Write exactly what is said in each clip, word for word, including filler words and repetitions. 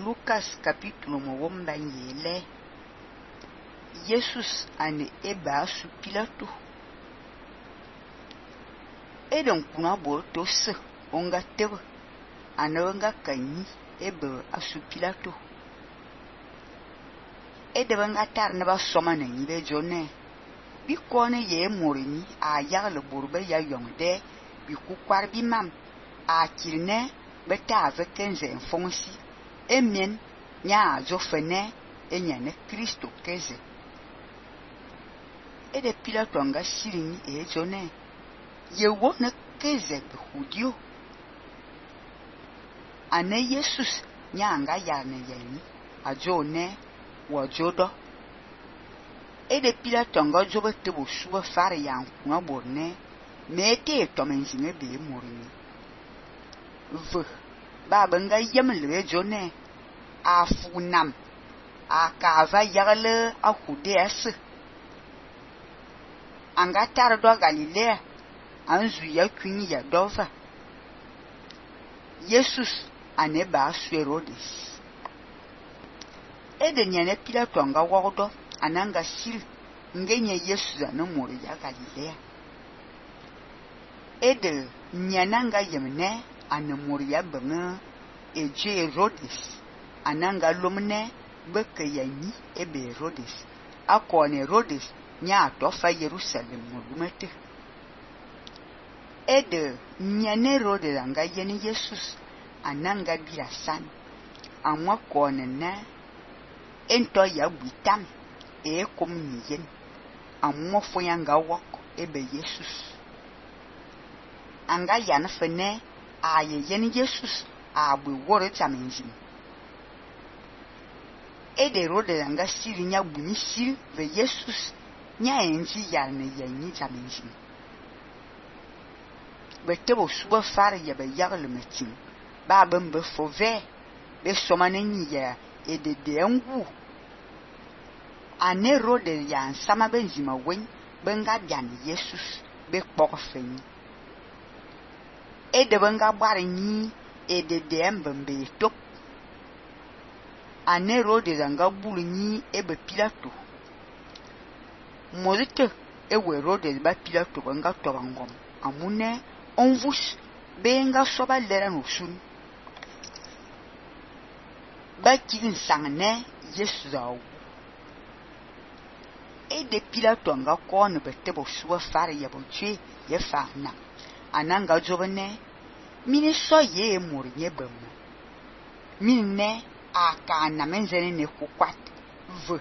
Lucas capítulo mwomba yele. Jesus ane eba su Pilato. Eden kuna bo to se onga tewe ananga kanyi ebe asu Pilato. Ede banga tar ne ba soma na nyi be jone. Bi kone ye morini a yagle borbe ya yongde bi kukwar bi mam a kirne beta avec enze fonsi emien nya zo fene enya ne Kristo keze. Ede Pilato anga sirini e jone ye wone keze be hudio ane Jesus nya anga yane yeni a jone wa jodo. Ede Pilato anga jobe tebo suba fare yan kuna borne mete to menzinge be morini v ba banga yemle jone a funam a kava yagle a hudes anga tar do Galilea anzu ya kwini ya dova. Jesus ane ba su Herodes. Ede nyane Pilato anga wodo ananga sil ngenye Jesus ane mori ya Galilea. Ede nyananga yemne ane mori ya benge eje Herodes ananga lomne beke yanyi ebe Herodes akone Herodes nya tofa Jerusalem mulumete. Ede nyane Herodes anga yeni Jesus ananga birasan amwa kone ne ento ya buitam e kom niyen amwa foyanga wok ebe Jesus anga yana fene a ye yeni Jesus a bu wore tamenjin. Ede Herodes anga siri nya buni sil ve Jesus nya enji yarne yanyi tamenjin. Betebo suba fare ya be yagle metin ba bembe fove be somane nyiya ede de ngu ane Herodes ya sama benzima wen benga bian Jesus be kpokfen. Ede benga bare nyi ede de mbembe top ane Herodes anga bulu nyi ebe Pilato mozite ewe Herodes ba Pilato benga tobangom amune onvus benga soba lera no sun ba kin sangne Jesus awu. Ede Pilato anga kone betebo suwa fare ya bonche ye fana ananga jobene mini so ye mori nye bemu mine aka na menzene ne kukwat v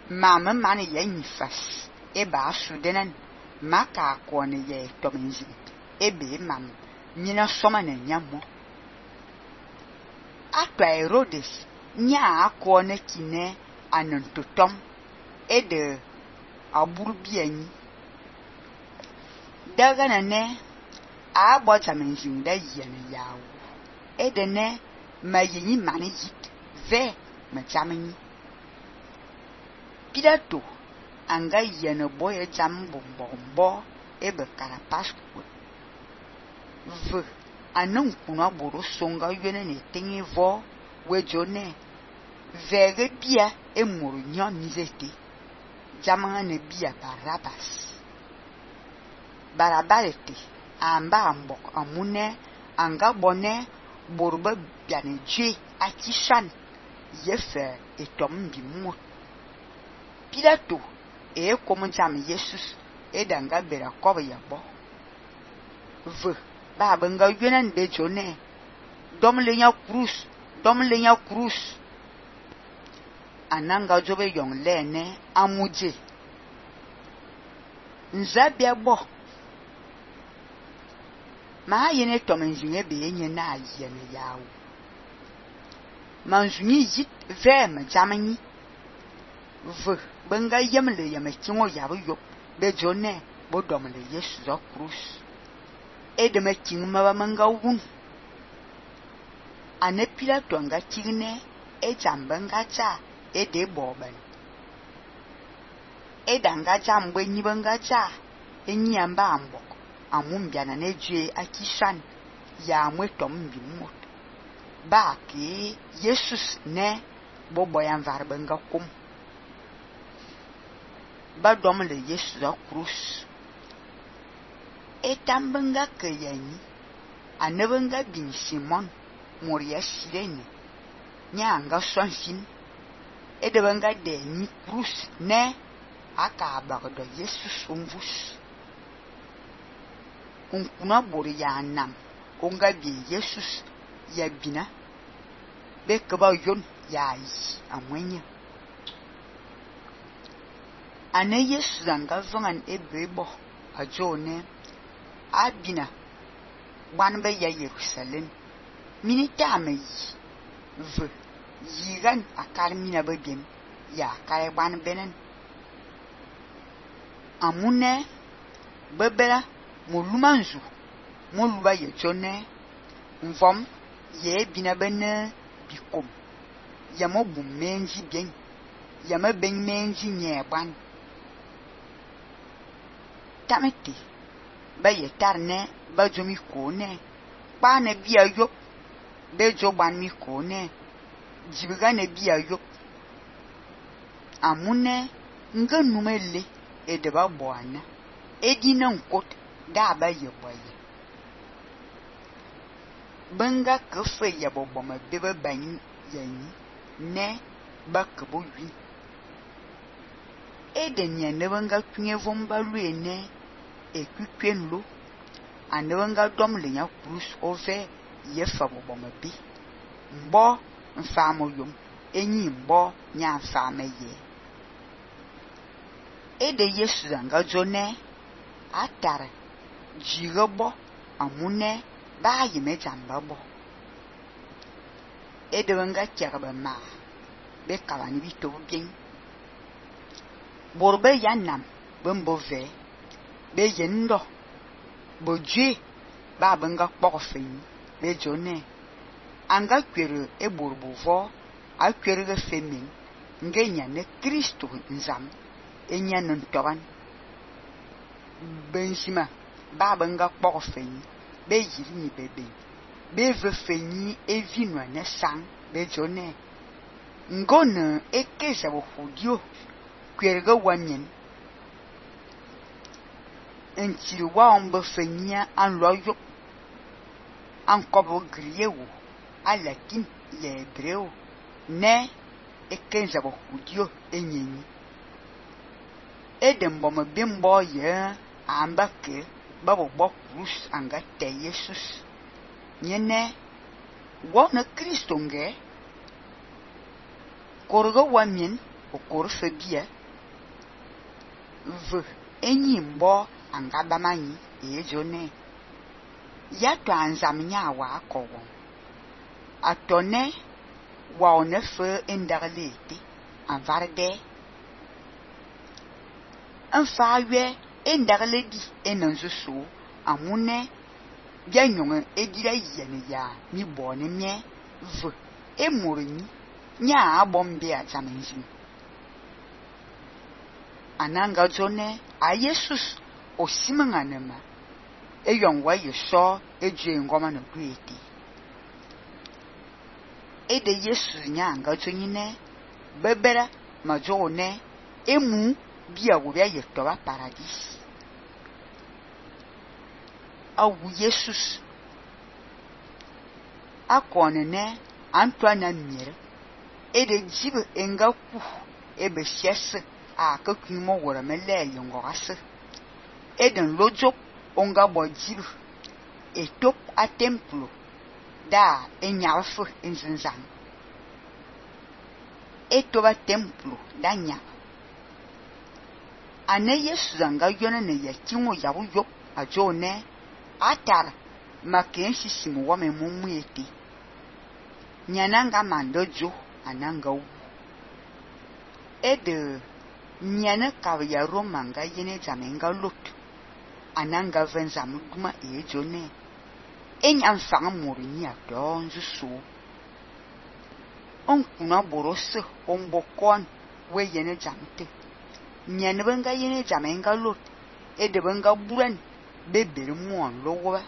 mama mane ye nyifas eba asudenen maka kone ye tomenzi ebe mam mina soma na nyamo. Atwa Herodes nya akone kine anontotom ede aburu bianyi daga na ne a bota menjin da yene yawo ede ne mayenyi mani yit ve machamani. Pilato anga yene boye jam bombombo ebe karapasku v anon kuna boro songa yene ne tengi vo wejone vege bia e moro nyon nizete jamanga ne bia Barabas. Barabalete amba ambok amune anga bone borba biane je akishan yefe etom bimot. Pilato e komo jam Jesus e danga bera koba yabo v ba benga yenen be jone dom lenya cruz dom lenya cruz ananga jobe yong lene amuje nzabia bo ma yene tomenjinge be yenye na yene yawo manjuni yit vem jamani v benga yemle yame kingo yabo yop be jone bo domle Yesu zo cruz ede me king ma manga wun ane Pilato anga kingne e jambanga cha ede boban ede anga jambe nyibanga cha enyi amba ambok amumbia na neje akishan ya mwetom bimot ba ki Jesus ne bo boyan var benga kum ba dom le Jesus a cruz etam benga ke yani anebenga bin Simon moria sirene nyanga sonsin edebenga de ni cruz ne aka bagdo Jesus umvus unkuna bori ya nam onga bi Jesus ya bina be kaba yon ya yi amwenya ane Jesus anga vangan ebebo ajone abina wan be ya Jerusalem minita me v yigan akal mina begem ya kare ban benen amune bebela molumanzu moluba ye jone mvom ye bina bene bikom ya mo bu menji bien ya ma ben menji nyeban tameti ba ye tarne ba jomi kone pa ne bia yo be jo ban mi kone jibiga ne bia yo amune nga numele e de ba boana e dina nkot da ba ye boye benga ke fe ya bobo ma be ba ban yani ne ba ke bo wi e de nya ne benga tunye vomba luene e kwikwenlo ane benga dom le nya cruz ove ye fa bobo ma bi mbo mfa mo yom enyi mbo nya mfa me ye ede Yesu anga jone atare jigobo amune ba yime jamba bo ede wanga kyarba ma be kawani bito bien borbe yanam bembo ve be yendo boje ba banga kpofin be jone anga kwere e borbo vo a kwere ge femin ngenya ne Kristo nzam enya non toban bensima ba banga kpofin be yiri ni bebe be ve fenyi evinwa ne sang be jone ngone ekeza bo hudio kwerga wanyen entiri wa ombe fenya an loyo an kobo griewo alakin le hebreo ne ekeza bo hudio enyenyi edem bomo bimbo ye ambake babo bo cruz anga te Jesus nyene wona Kristo nge korgo wamin o korfe bia v enyi mbo anga bamanyi e jone ya to anzam nya wa akowo atone wa onefe endarlete anvarde anfawe endarledi enanzusu amune bia nyonga edira yene ya mi bone mie v emurini nya abombe atamenzi ananga jone a Jesus osimanganema eyongwa yeso eje ngoma no kweti ede Jesus nyanga jonyine bebera majone emu bia wo bia yetoba paradis awu Jesus akonene Antoine Mire ede jibe enga ku ebe siese a kakwimo wora mele yongorase eden lojo onga bojibu etop a templo da enyafu enzinzan etoba templo da nya ane Yesu zanga yona ne yakinwo yabu yo ajone atar makenshi simu wa memumu eti nyananga mandojo ananga u ede nyana kawya romanga yene zamenga lot ananga venza muduma ejone enyam fanga muri ni adonzu so onkuna borose ombokon we yene jamte nyana benga yene zamenga lot ede benga buran bebere muon lowa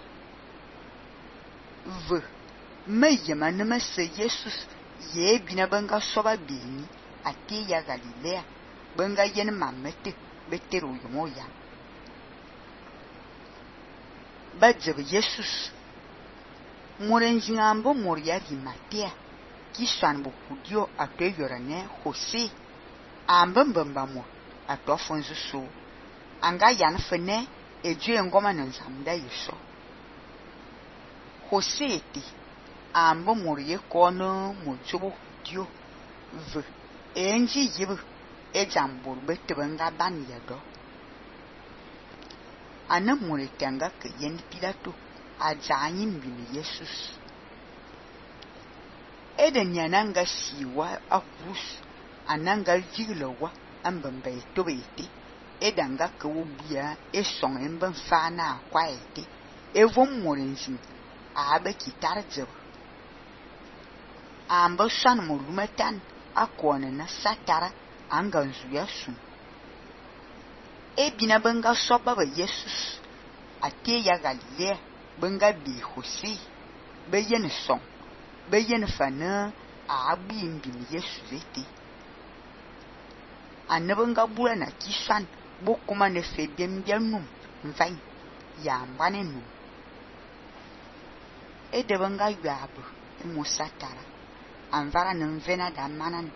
v me yema ne me se Jesus ye bina benga soba bini ati ya Galilea benga yen mamete betero yomoya badzebe Jesus morenjingambo moria rimatea ki swanbo kudio atwe yorane Jose ambembemba mo atofonzu so anga yan fene eje ngoma nzamda yeso Jose ti ambo morie kono mojobo dio v enji yibu ejambur betebenga ban yado ana more tanga ke yen Pilato ajanyi mbini Jesus eden yananga siwa akus ananga jilowa ambamba etobete edanga ke wobia esong emben fana kwaete evon morenjin abe kitarje amba shan molumatan akone na satara anganzu yasu ebina benga soba ba Jesus ate ya Galilea benga bi Jose beyen song beyen fana abi mbini Yesu vete anabenga bula na kishan bokuma ne febiem bianum mvain ya mbane nu edebenga yabu musatara anvara nemvena da manan